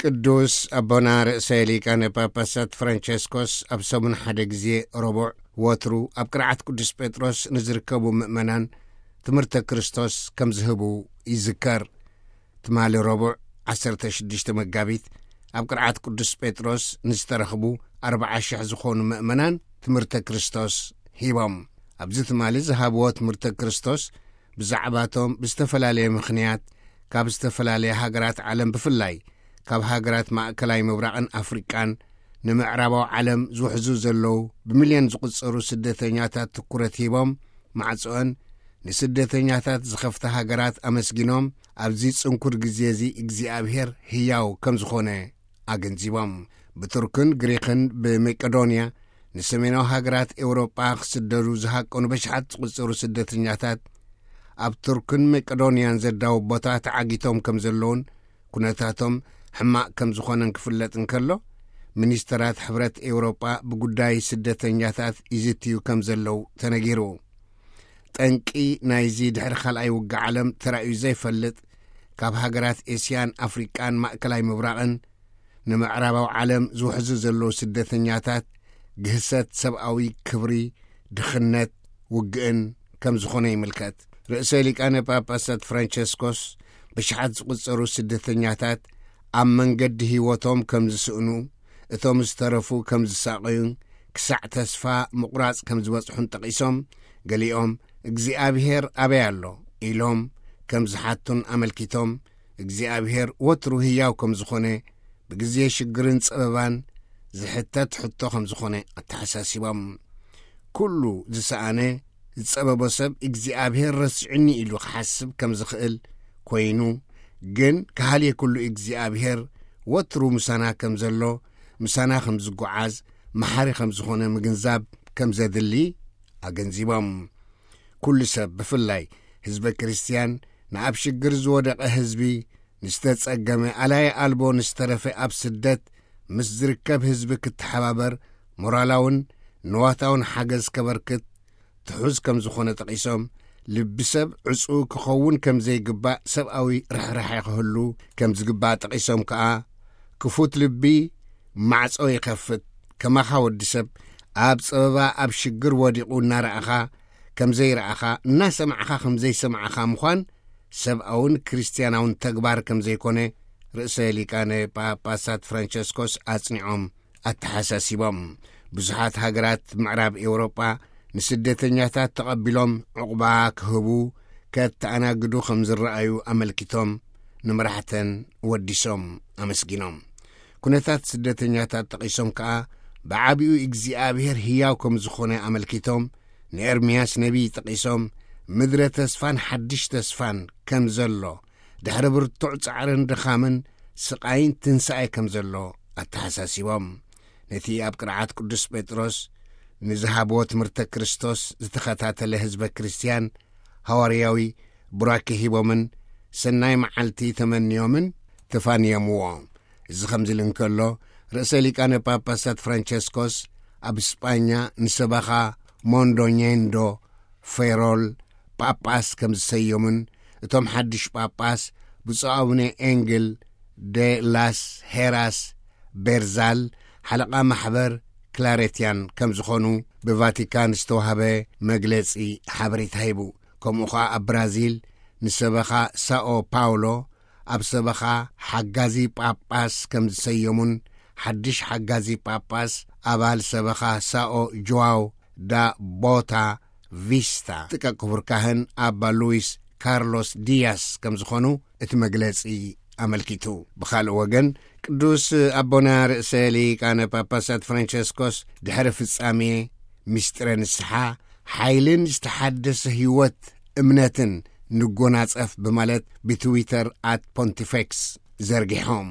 ቅዱስ ኣቦና ርእሰ ሊቃነ ጳጳሳት ፍራንቸስኮስ ኣብ ሰሙን ሓደ ግዜ ረቡዕ፣ ወትሩ ኣብ ቅርዓት ቅዱስ ጴጥሮስ ንዝርከቡ ምእመናን ትምህርተ ክርስቶስ ከም ዝህቡ ይዝከር። ትማሊ ረቡዕ ዓሰርተ ሽዱሽተ መጋቢት ኣብ ቅርዓት ቅዱስ ጴጥሮስ ንዝተረኽቡ ኣርብዓ ሽሕ ዝኾኑ ምእመናን ትምህርተ ክርስቶስ ሂቦም። ኣብዚ ትማሊ ዝሃብዎ ትምህርተ ክርስቶስ ብዛዕባቶም ብዝተፈላለየ ምኽንያት ካብ ዝተፈላለየ ሃገራት ዓለም፣ ብፍላይ ካብ ሃገራት ማእከላይ ምብራቕን ኣፍሪቃን ንምዕራባዊ ዓለም ዝውሕዙ ዘለዉ ብሚልዮን ዝቑጸሩ ስደተኛታት ትኩረት ሂቦም፣ ማዕጾአን ንስደተኛታት ዝኸፍታ ሃገራት ኣመስጊኖም፣ ኣብዚ ጽንኩር ግዜ እዚ እግዚኣብሔር ህያው ከም ዝኾነ ኣገንዚቦም። ብቱርክን ግሪኽን ብመቄዶንያ ንሰሜናዊ ሃገራት ኤውሮጳ ክስደዱ ዝሃቀኑ በሽሓት ዝቑጸሩ ስደተኛታት ኣብ ቱርክን መቄዶንያን ዘዳውብ ቦታ ተዓጊቶም ከም ዘለዉን ኩነታቶም ሕማቕ ከም ዝኾነን ክፍለጥ እንከሎ፣ ሚኒስተራት ሕብረት ኤውሮጳ ብጉዳይ ስደተኛታት ይዝትዩ ከም ዘለዉ ተነጊሩ። ጠንቂ ናይዚ ድሕሪ ካልኣይ ውግእ ዓለም ተራእዩ ዘይፈልጥ፣ ካብ ሃገራት ኤስያን ኣፍሪቃን ማእከላይ ምብራቕን ንምዕራባዊ ዓለም ዝውሕዙ ዘለዉ ስደተኛታት ግህሰት ሰብኣዊ ክብሪ፣ ድኽነት፣ ውግእን ከም ዝኾነ ይምልከት። ርእሰ ሊቃነ ጳጳሳት ፍራንቸስኮስ ብሽሓት ዝቑጸሩ ስደተኛታት ኣብ መንገዲ ህይወቶም ከም ዝስእኑ፣ እቶም ዝተረፉ ከም ዝሳቐዩን ክሳዕ ተስፋ ምቑራጽ ከም ዝበጽሑን ጠቒሶም፣ ገሊኦም እግዚኣብሔር ኣበይ ኣሎ ኢሎም ከም ዝሓቱን ኣመልኪቶም፣ እግዚኣብሔር ወትሩ ህያው ከም ዝኾነ፣ ብግዜ ሽግርን ጸበባን ዝሕተት ሕቶ ከም ዝኾነ ኣተሓሳሲቦም። ኩሉ ዝሰኣነ ዝጸበቦ ሰብ እግዚኣብሔር ረሲዑኒ ኢሉ ክሓስብ ከም ዝኽእል ኮይኑ፣ ግን ከሃልየ ኩሉ እግዚኣብሔር ወትሩ ምሳና ከም ዘሎ፣ ምሳና ከም ዝጓዓዝ፣ መሓሪ ከም ዝኾነ ምግንዛብ ከም ዘድሊ ኣገንዚቦም። ኩሉ ሰብ፣ ብፍላይ ህዝበ ክርስትያን፣ ንኣብ ሽግር ዝወደቐ ህዝቢ፣ ንዝተጸገመ፣ ኣላየ ኣልቦ ንዝተረፈ ኣብ ስደት ምስ ዝርከብ ህዝቢ ክተሓባበር ሞራላውን ንዋታውን ሓገዝ ከበርክት ትሑዝ ከም ዝኾነ ጠቒሶም፣ ልቢ ሰብ ዕጹው ክኸውን ከም ዘይግባእ፣ ሰብኣዊ ርሕራሐ ክህሉ ከም ዝግባእ ጠቒሶም ከኣ፣ ክፉት ልቢ ማዕጾ ይኸፍት። ከማኻ ወዲ ሰብ ኣብ ጸበባ ኣብ ሽግር ወዲቑ እናረኣኻ ከም ዘይረኣኻ፣ እናሰማዕኻ ከም ዘይሰማዕኻ ምዃን ሰብኣውን ክርስትያናውን ተግባር ከም ዘይኮነ ርእሰ ሊቃነ ጳጳሳት ፍራንቸስኮስ ኣጽኒዖም ኣተሓሳሲቦም። ብዙሓት ሃገራት ምዕራብ ኤውሮጳ ንስደተኛታት ተቐቢሎም ዕቑባ ክህቡ ከተኣናግዱ ከም ዝረኣዩ ኣመልኪቶም፣ ንመራሕተን ወዲሶም ኣመስጊኖም። ኩነታት ስደተኛታት ጠቒሶም ከኣ፣ ብዓቢኡ እግዚኣብሔር ህያው ከም ዝኾነ ኣመልኪቶም፣ ንኤርምያስ ነቢይ ጠቒሶም፣ ምድረ ተስፋን ሓድሽ ተስፋን ከም ዘሎ፣ ድሕሪ ብርቱዕ ጻዕርን ድኻምን ስቓይን ትንሳኤ ከም ዘሎ ኣተሓሳሲቦም። ነቲ ኣብ ቅርዓት ቅዱስ ጴጥሮስ ንዝሃብዎ ትምህርተ ክርስቶስ ዝተኸታተለ ህዝበ ክርስትያን ሃዋርያዊ ቡራኬ ሂቦምን ሰናይ መዓልቲ ተመንዮምን ተፋንዮምዎ። እዚ ከምዚ ኢሉ እንከሎ፣ ርእሰ ሊቃነ ጳጳሳት ፍራንቸስኮስ ኣብ ስጳኛ ንሰበኻ ሞንዶኘንዶ ፌሮል ጳጳስ ከም ዝሰየሙን፣ እቶም ሓድሽ ጳጳስ ብፁዕ ኣቡነ ኤንግል ደ ላስ ሄራስ ቤርዛል፣ ሓለቓ ማሕበር ክላሬትያን ከም ዝኾኑ ብቫቲካን ዝተዋህበ መግለጺ ሓበሬታ ሂቡ። ከምኡ ኸኣ ኣብ ብራዚል ንሰበኻ ሳኦ ፓውሎ ኣብ ሰበኻ ሓጋዚ ጳጳስ ከም ዝሰየሙን፣ ሓድሽ ሓጋዚ ጳጳስ ኣባል ሰበኻ ሳኦ ጆዋው ዳ ቦታ ቪስታ ጥቀ ክቡር ካህን ኣባ ሉዊስ ካርሎስ ዲያስ ከም ዝኾኑ እቲ መግለጺ ኣመልኪቱ። ብኻልእ ወገን፣ ቅዱስ ኣቦና ርእሰ ሊቃነ ጳጳሳት ፍራንቸስኮስ ድሕሪ ፍጻሜ ምስጢረ ንስሓ፣ ሓይልን ዝተሓደሰ ህይወት እምነትን ንጎናጸፍ ብማለት ብትዊተር ኣት ፖንቲፌክስ ዘርጊሖም።